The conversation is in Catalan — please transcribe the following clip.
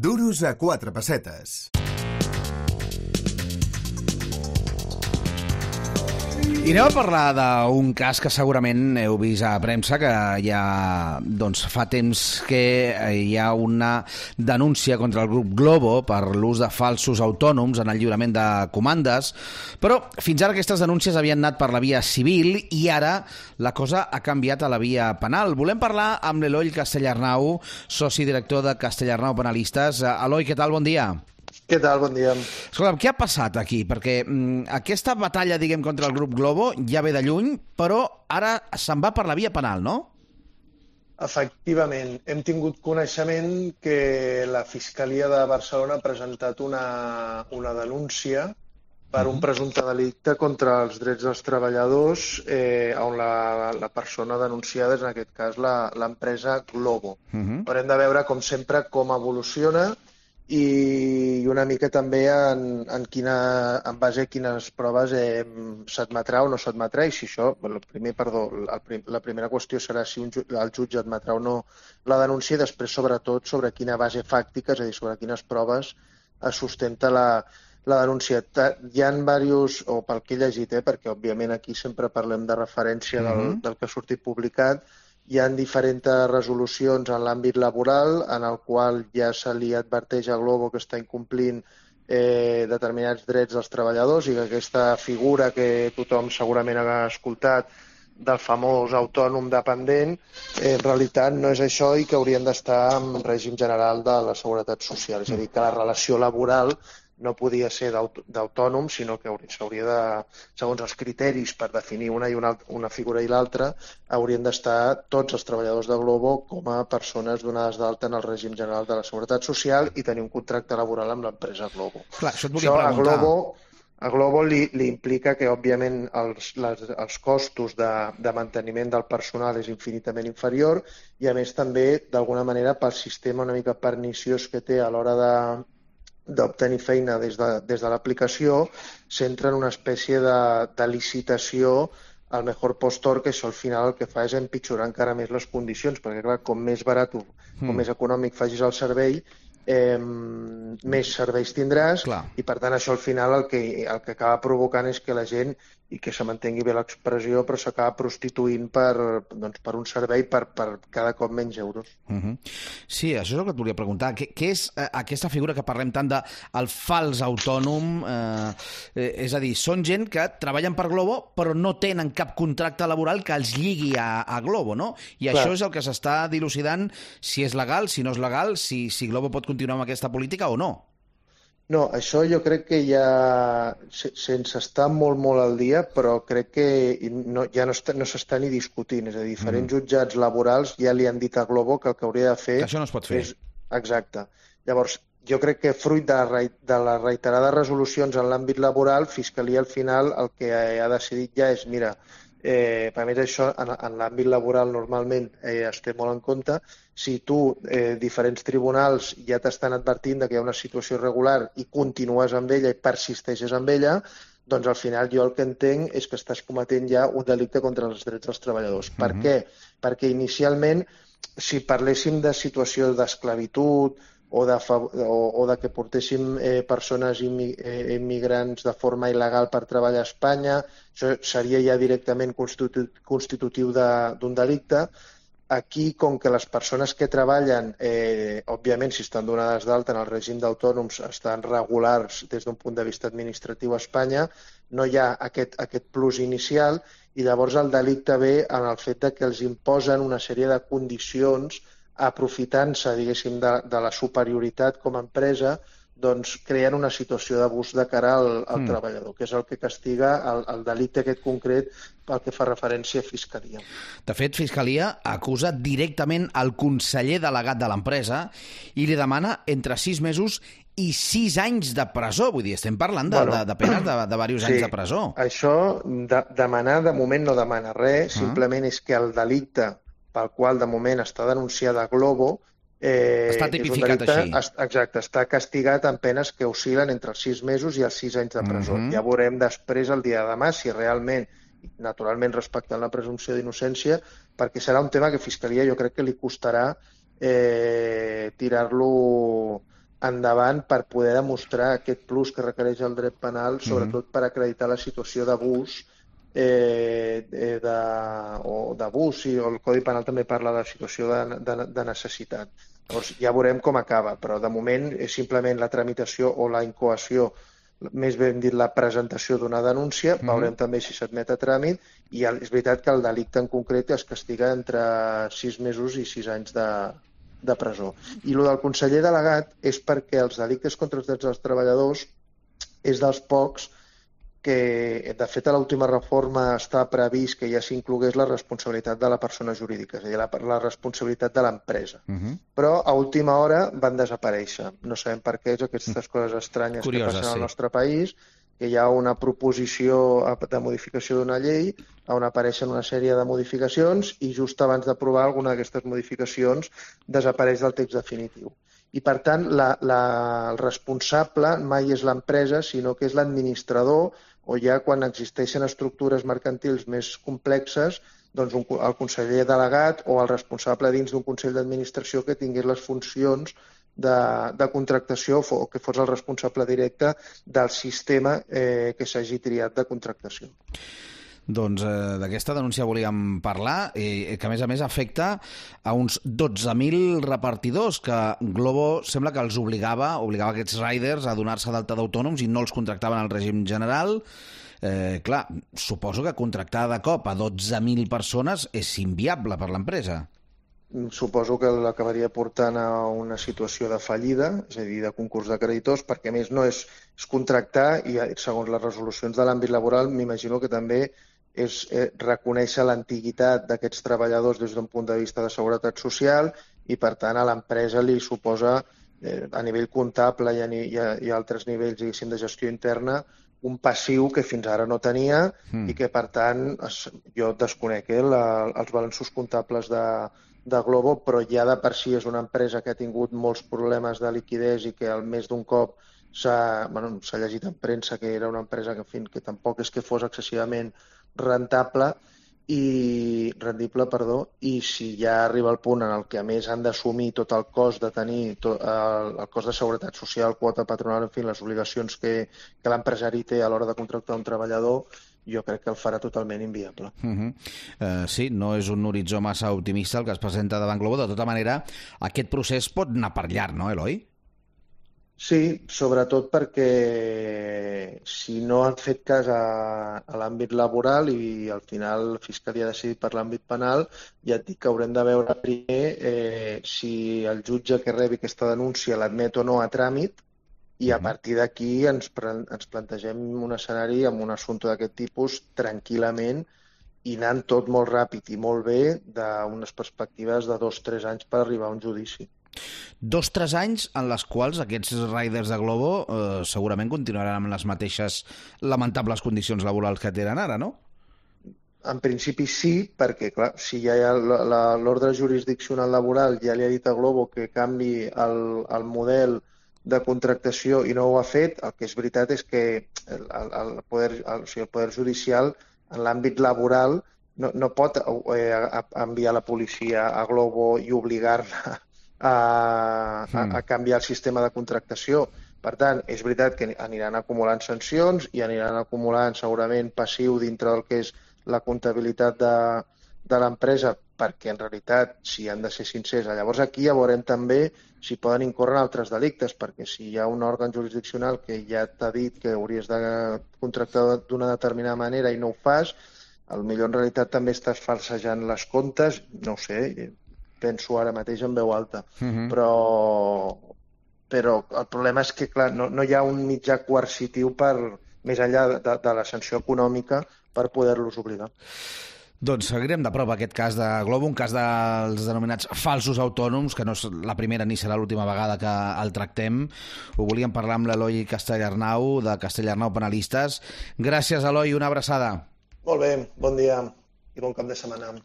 Duros a 4 pessetes. I anem a parlar d'un cas que segurament heu vist a premsa, que ja fa temps que hi ha una denúncia contra el grup Glovo per l'ús de falsos autònoms en el lliurament de comandes, però fins ara aquestes denúncies havien anat per la via civil i ara la cosa ha canviat a la via penal. Volem parlar amb l'Eloi Castellarnau, soci director de Castellarnau Penalistes. Eloi, què tal? Bon dia. Què tal? Bon dia. Escolta'm, què ha passat aquí? Perquè aquesta batalla, diguem, contra el grup Glovo ja ve de lluny, però ara se'n va per la via penal, no? Efectivament, hem tingut coneixement que la Fiscalia de Barcelona ha presentat una denúncia per un presumpte delicte contra els drets dels treballadors, on la persona denunciada és, en aquest cas, l'empresa Glovo. Haurem de veure, com sempre, com evoluciona i una mica també en base a quines proves s'admetrà o no s'admetrà, i si això, la primera qüestió serà si el jutge admetrà o no la denúncia, i després, sobretot, sobre quina base fàctica, és a dir, sobre quines proves es sustenta la denúncia. Hi ha diversos, o pel que he llegit, perquè òbviament aquí sempre parlem de referència del que ha sortit publicat, hi ha diferents resolucions en l'àmbit laboral en el qual ja se li adverteix a Glovo que està incomplint determinats drets dels treballadors i que aquesta figura que tothom segurament ha escoltat del famós autònom dependent, en realitat no és això i que haurien d'estar en règim general de la Seguretat Social. És a dir, que la relació laboral no podia ser d'autònom, sinó que s'hauria de, segons els criteris per definir una figura i l'altra, haurien d'estar tots els treballadors de Glovo com a persones donades d'alta en el règim general de la Seguretat Social i tenir un contracte laboral amb l'empresa Glovo. Clar, això et volia preguntar. A Glovo li implica que, òbviament, els costos de manteniment del personal és infinitament inferior i, a més, també, d'alguna manera, pel sistema una mica perniciós que té a l'hora d'obtenir feina des de l'aplicació, s'entra en una espècie de licitació al mejor postor, que això al final el que fa és empitjorar encara més les condicions, perquè clar, com més barat o més econòmic facis el servei, més serveis tindràs. Clar. I per tant això al final el que acaba provocant és que la gent, i que se m'entengui bé l'expressió, però s'acaba prostituint per un servei per cada cop menys euros. Sí, això és el que et volia preguntar. Què és aquesta figura que parlem tant del fals autònom? És a dir, són gent que treballen per Glovo però no tenen cap contracte laboral que els lligui a Glovo, no? I clar, això és el que s'està dilucidant, si és legal, si no és legal, si Glovo pot continuar amb aquesta política o no. No, això jo crec que ja, sense estar molt, molt al dia, però crec que ja no s'està ni discutint. És a dir, diferents jutjats laborals ja li han dit a Glovo que el que hauria de fer... Que això no es pot fer. Exacte. Llavors, jo crec que fruit de les reiterades resolucions en l'àmbit laboral, Fiscalia al final el que ha decidit ja és, mira, a més això en l'àmbit laboral normalment es té molt en compte. Si tu, diferents tribunals ja t'estan advertint que hi ha una situació irregular i continues amb ella i persisteixes amb ella, doncs al final jo el que entenc és que estàs cometent ja un delicte contra els drets dels treballadors. Per què? Perquè inicialment, si parléssim de situació d'esclavitud o de que portéssim persones immigrants de forma il·legal per treballar a Espanya, això seria ja directament constitutiu d'un delicte. Aquí, com que les persones que treballen, òbviament, si estan donades d'alta en el règim d'autònoms, estan regulars des d'un punt de vista administratiu a Espanya, no hi ha aquest plus inicial i llavors el delicte ve en el fet que els imposen una sèrie de condicions aprofitant-se, diguéssim, de la superioritat com a empresa, doncs creen una situació d'abús de cara al treballador, que és el que castiga el delicte aquest concret pel que fa referència a Fiscalia. De fet, Fiscalia acusa directament el conseller delegat de l'empresa i li demana entre 6 mesos i 6 anys de presó. Vull dir, estem parlant de penes de diversos anys de presó. Això, demanar, de moment no demana res, simplement és que el delicte pel qual de moment està denunciada Glovo està tipificat així. Exacte, està castigat amb penes que oscil·len entre els 6 mesos i els 6 anys de presó. Ja veurem després, el dia de demà, si realment, naturalment respectant la presumpció d'innocència, perquè serà un tema que Fiscalia jo crec que li costarà tirar-lo endavant per poder demostrar aquest plus que requereix el dret penal, sobretot per acreditar la situació d'abús o d'abús, o el Codi Penal també parla de la situació de necessitat. Llavors ja veurem com acaba, però de moment és simplement la tramitació o la incoació, més ben dit la presentació d'una denúncia, veurem també si s'admet a tràmit, i és veritat que el delicte en concret es castiga entre 6 mesos i 6 anys de presó. I el del conseller delegat és perquè els delictes contra els drets dels treballadors és dels pocs que, de fet, a l'última reforma està previst que ja s'inclogués la responsabilitat de la persona jurídica, és a dir, la responsabilitat de l'empresa. Però a última hora van desaparèixer. No sabem per què, aquestes coses estranyes que passen al nostre país, que hi ha una proposició de modificació d'una llei on apareixen una sèrie de modificacions i just abans d'aprovar alguna d'aquestes modificacions desapareix del text definitiu. I, per tant, el responsable mai és l'empresa, sinó que és l'administrador, o ja quan existeixen estructures mercantils més complexes, doncs el conseller delegat o el responsable dins d'un consell d'administració que tingués les funcions de contractació o que fos el responsable directe del sistema que s'hagi triat de contractació. Doncs d'aquesta denúncia volíem parlar, que a més afecta a uns 12.000 repartidors que Glovo sembla que els obligava aquests riders a donar-se d'alta d'autònoms i no els contractaven al règim general. Clar, suposo que contractar de cop a 12.000 persones és inviable per l'empresa. Suposo que l'acabaria portant a una situació de fallida, és a dir, de concurs de creditors, perquè a més no és contractar i segons les resolucions de l'àmbit laboral m'imagino que també és reconèixer l'antiguitat d'aquests treballadors des d'un punt de vista de seguretat social i, per tant, a l'empresa li suposa, a nivell comptable i a altres nivells, diguéssim, de gestió interna, un passiu que fins ara no tenia i que, per tant, jo desconec els balanços comptables de Glovo, però ja de per si és una empresa que ha tingut molts problemes de liquiditat i que al més d'un cop s'ha llegit en premsa que era una empresa que tampoc és que fos excessivament rendible, i si ja arriba el punt en el que a més han d'assumir tot el cost de tenir el cost de seguretat social, quota patronal, en fi, les obligacions que l'empresari té a l'hora de contractar un treballador, jo crec que el farà totalment inviable. Sí, no és un horitzó massa optimista el que es presenta davant Glovo. De tota manera, aquest procés pot anar per llarg, no, Eloi? Sí, sobretot perquè si no han fet cas a l'àmbit laboral i al final la Fiscalia ha decidit per l'àmbit penal, ja et dic que haurem de veure primer si el jutge que rebi aquesta denúncia l'admet o no a tràmit i a partir d'aquí ens plantegem un escenari amb un assumpte d'aquest tipus tranquil·lament i anant tot molt ràpid i molt bé d'unes perspectives de 2 o 3 anys per arribar a un judici. 2 o 3 anys en les quals aquests riders de Glovo segurament continuaran amb les mateixes lamentables condicions laborals que tenen ara, no? En principi sí, perquè clar, si ja hi ha l'ordre jurisdiccional laboral ja li ha dit a Glovo que canvi el model de contractació i no ho ha fet, el que és veritat és que el Poder Judicial en l'àmbit laboral no pot enviar la policia a Glovo i obligar-la a canviar el sistema de contractació. Per tant, és veritat que aniran acumulant sancions i aniran acumulant segurament passiu dintre del que és la comptabilitat de l'empresa, perquè en realitat, si han de ser sincers, llavors aquí ja veurem també si poden incórrer en altres delictes, perquè si hi ha un òrgan jurisdiccional que ja t'ha dit que hauries de contractar d'una determinada manera i no ho fas, potser en realitat també estàs falsejant les comptes, no ho sé, penso ara mateix en veu alta, però el problema és que clar, no hi ha un mitjà coercitiu més enllà de la sanció econòmica per poder-los obligar. Doncs seguirem de prop aquest cas de Glovo, un cas dels denominats falsos autònoms, que no és la primera ni serà l'última vegada que el tractem. Ho volíem parlar amb l'Eloi Castellarnau, de Castellarnau Penalistes. Gràcies, Eloi, una abraçada. Molt bé, bon dia i bon cap de setmana.